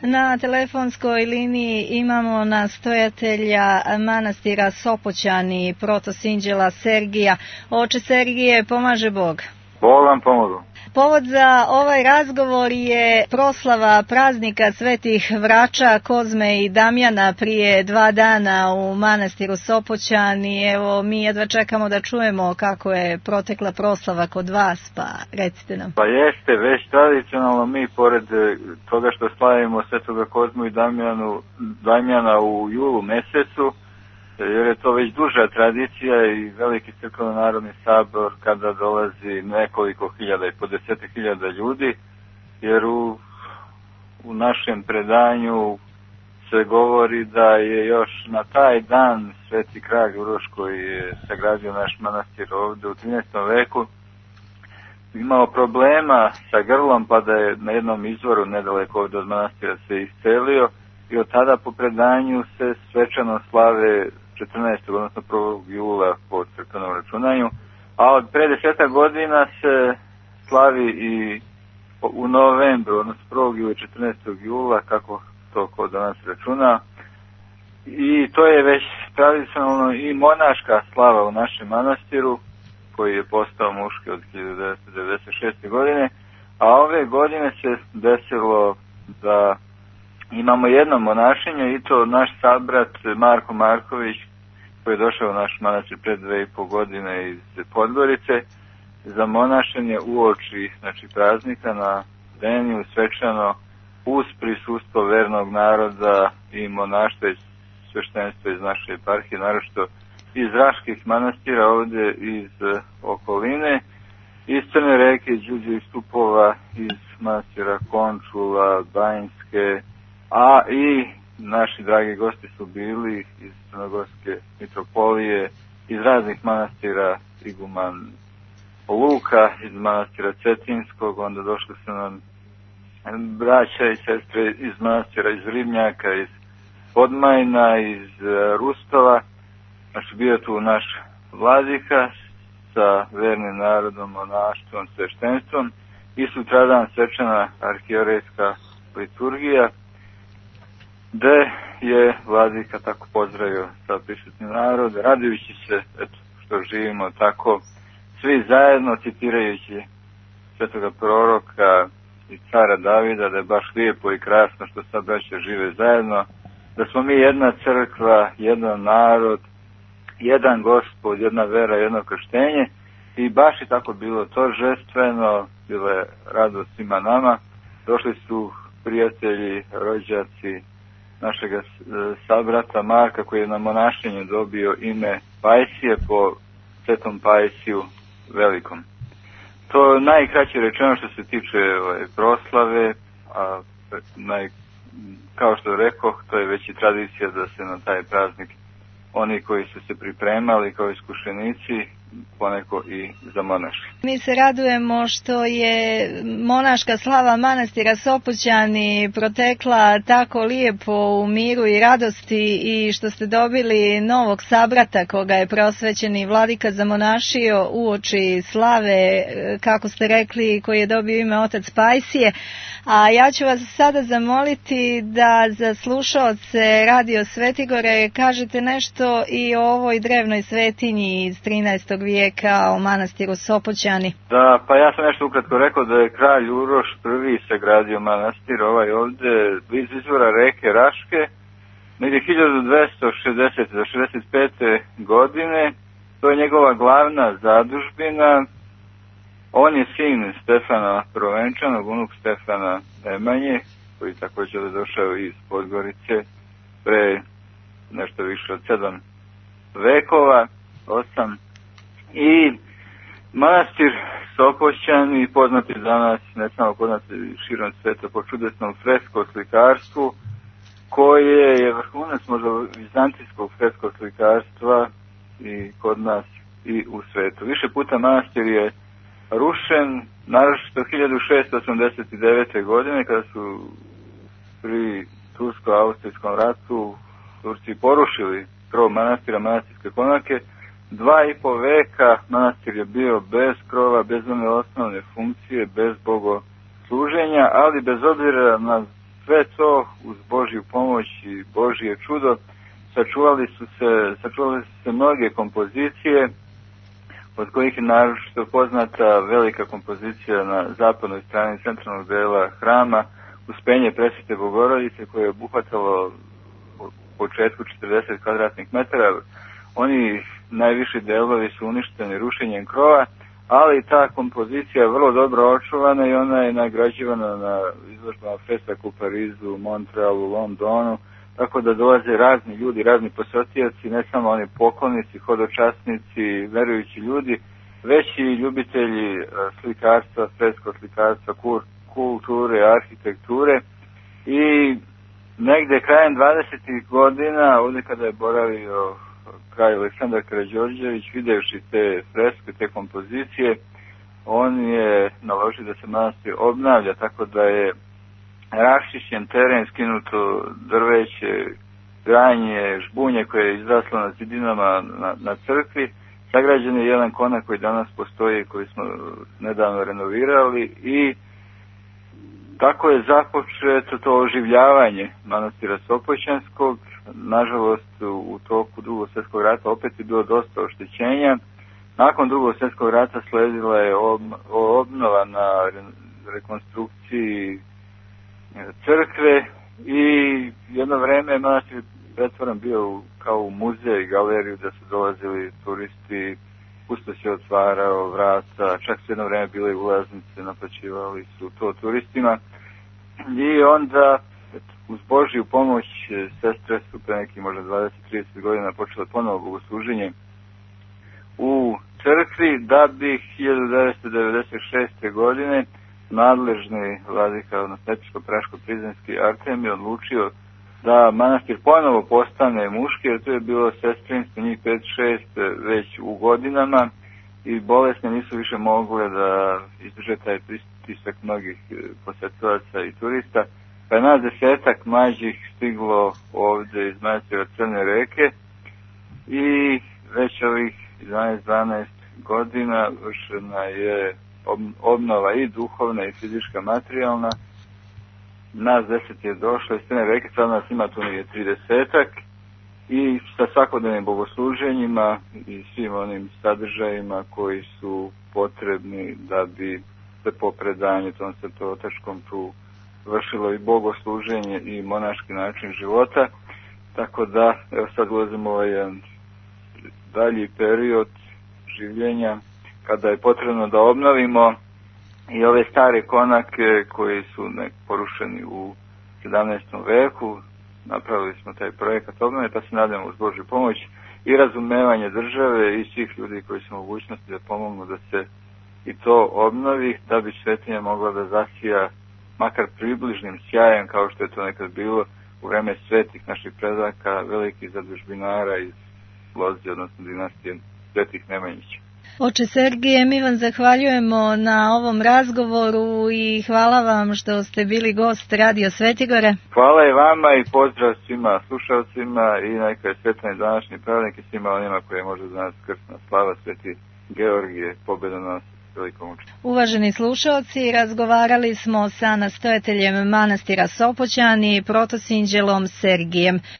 Na telefonskoj liniji imamo nastojatelja manastira Sopoćani, protosinđela Sergija. Oče Sergije, pomaže Bog. Bog vam pomogu. Povod za ovaj razgovor je proslava praznika svetih vrača Kozme i Damjana prije 2 dana u manastiru Sopoćani. Evo, mi jedva čekamo da čujemo kako je protekla proslava kod vas, pa recite nam. Pa jeste, već tradicionalno mi pored toga što slavimo svetoga Kozmu i Damjana u julu mesecu, jer je to već duža tradicija i veliki crkveno-narodni sabor kada dolazi nekoliko hiljada i po 10.000 ljudi, jer u našem predanju se govori da je još na taj dan sveti kralj Uroš, koji je sagradio naš manastir ovde u 13. veku, imao problema sa grlom, pa da je na jednom izvoru nedaleko ovde od manastira se iscelio i od tada po predanju se svečano slave 14. odnosno 1. jula po crkvenom računanju, a od pre 10 godina se slavi i u novembru, odnosno 1. jula i 14. jula, kako to kod danas računa. I to je već tradicionalno i monaška slava u našem manastiru, koji je postao muški od 1996. godine, a ove godine se desilo da imamo jedno monašenje i to naš sabrat Marko Marković, koji je došao u naš manastir pred 2,5 godine iz Podgorice za monašenje uoči praznika na Deniju svečano uz prisustvo vernog naroda i monaštva i sveštenstva iz naše eparhije, naročito iz raških manastira ovde iz okoline, iz Crne Reke, iz Đuđe i Stupova, iz manastira Končula, Banjske, a i naši dragi gosti su bili iz Crnogorske mitropolije, iz raznih manastira, iguman Luka, iz manastira Cetinskog, onda došli su nam braća i sestre iz manastira iz Ribnjaka, iz Podmajna, iz Rustova. Znači, bio tu naš vladika sa vernim narodom, monaštvom, sveštenstvom i sutradan svečana arhijerejska liturgija, gde je vladika tako pozdravio sa prisutni narod, radujući se što živimo tako svi zajedno, citirajući svetoga proroka i cara Davida, da je baš lijepo i krasno što sad braća žive zajedno, da smo mi jedna crkva, jedan narod, jedan Gospod, jedna vera, jedno krštenje, i baš je tako bilo to žestveno, bilo je radost svima nama. Došli su prijatelji, rođaci našeg sabrata Marka, koji je na monašenju dobio ime Pajsije po svetom Pajsiju Velikom. To je najkraće rečeno što se tiče proslave, a kao što rekoh, to je već i tradicija da se na taj praznik oni koji su se pripremali kao iskušenici poneko i zamonaši. Mi se radujemo što je monaška slava manastira Sopoćani protekla tako lijepo u miru i radosti i što ste dobili novog sabrata koga je preosvećeni vladika zamonašio uoči slave, kako ste rekli, koji je dobio ime otac Pajsije. A ja ću vas sada zamoliti da za slušaoce Radio Svetigore kažete nešto i o ovoj drevnoj svetinji iz 13. vijeka, o manastiru Sopoćani. Da, pa ja sam nešto ukratko rekao da je kralj Uroš I sagradio manastir ovaj ovde bliz izvora reke Raške, negdje 1260. do 65. godine. To je njegova glavna zadužbina. On je sin Stefana Prvenčanog, unuk Stefana Nemanje, koji također je došao iz Podgorice pre nešto više od 7 vekova, 8. I manastir Sopoćani poznati danas, ne samo kod nas, širom sveta, po čudesnom fresko-slikarstvu, koje je vrhunac možda vizantijskog fresko-slikarstva i kod nas i u svetu. Više puta manastir je rušen, naročito 1689. godine, kada su pri Tursko-Austrijskom ratu Turci porušili krov manastira, manastirske konake. 2,5 veka manastir je bio bez krova, bez one osnovne funkcije, bez bogosluženja, ali bez obzira na sve to uz Božju pomoć i Božje čudo sačuvali su se mnoge kompozicije, od kojih je naročito poznata velika kompozicija na zapadnoj strani centralnog dela hrama, Uspenje Presvete Bogorodice, koje je obuhvatalo u početku 40 kvadratnih metara. Oni najviši delovi su uništeni rušenjem krova, ali ta kompozicija je vrlo dobro očuvana i ona je nagrađivana na izložbama Fesak u Parizu, Montrealu, Londonu, tako da dolaze razni ljudi, razni posjetioci, ne samo oni poklonici, hodočasnici, verujući ljudi, već i ljubitelji slikarstva, fresko slikarstva, kulture, arhitekture. I negde krajem 20. godina, ovdje kada je boravio kralj Aleksandar Karađorđević, videvši te freske, te kompozicije, on je naložio da se manastir obnavlja, tako da je raščišćen teren, skinuto drveće, granje, žbunje koje je izraslo na zidinama na crkvi. Sagrađen je jedan konak koji danas postoji, koji smo nedavno renovirali, i tako je započeto to oživljavanje manastira Sopoćanskog. Nažalost, u toku Drugog svjetskog rata opet je bilo dosta oštećenja. Nakon Drugog svjetskog rata sledila je obnova na rekonstrukciji crkve i jedno vreme je manastir pretvoren bio kao u muzej, galeriju, da su dolazili turisti, pusto se otvarao vrata, čak su jedno vreme bile ulaznice, naplaćivali su to turistima. I onda, uz Božju pomoć, sestre su pre neki možda 20-30 godina počele ponovo bogosluženje u crkvi, da bi 1996. godine nadležni vladika, odnosno episkop-praško-prizrenski Artemij odlučio da manastir ponovo postane muški, jer tu je bilo sestrinstvo, njih 5-6 već u godinama, i bolesne nisu više mogle da izdrže taj pritisak mnogih posetilaca i turista. Pa je nas 10-ak mlađih stiglo ovdje iz manastira Crne reke i već ovih 11-12 godina vršena je obnova i duhovna i fizička, materijalna. Nas 10 je došlo iz Crne reke, sad nas ima tu nije 30-ak, i sa svakodnevnim bogosluženjima i svim onim sadržajima koji su potrebni da bi se po predanju tom svetootačkom tu vršilo i bogosluženje i monaški način života. Tako da, evo sad ulazimo ovaj jedan dalji period življenja kada je potrebno da obnovimo i ove stare konake koji su porušeni u 17. veku. Napravili smo taj projekat obnove, pa se nadamo uz Božju pomoć i razumevanje države i svih ljudi koji su mogućnosti da pomognu da se i to obnovi, da bi svetinja mogla da zasija makar približnim sjajem, kao što je to nekad bilo u vreme svetih naših predaka, velikih zadužbinara iz Lozije, odnosno dinastije Svetih Nemanjića. Oče Sergije, mi vam zahvaljujemo na ovom razgovoru i hvala vam što ste bili gost Radio Svetigore. Hvala i vama i pozdrav svima slušalcima i neka je svetlani današnji praznik i svima onima koje može danas krsna slava Sveti Georgije, pobedonosni velikom učenju. Uvaženi slušalci, razgovarali smo sa nastojateljem manastira Sopoćani, protosinđelom Sergijem.